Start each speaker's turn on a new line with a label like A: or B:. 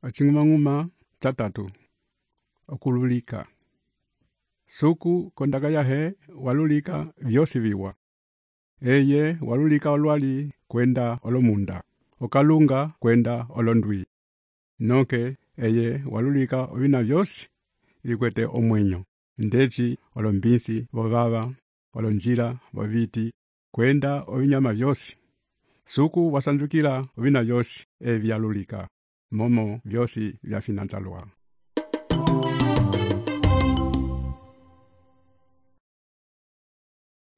A: Aching'umang'uma chatatu. Okululika. Suku kondaka yahe walulika vyosi viwa. Eye walulika olwali kwenda olomunda. Okalunga kwenda olondwi. Noke eye walulika ovina vyosi ikwete omwenyo. Ndechi olombinsi vovava, olonjila voviti, kwenda ovinyama vyosi. Suku wasanjukila ovina vyosi evyalulika. Momo vyosi vyafinanzalwa.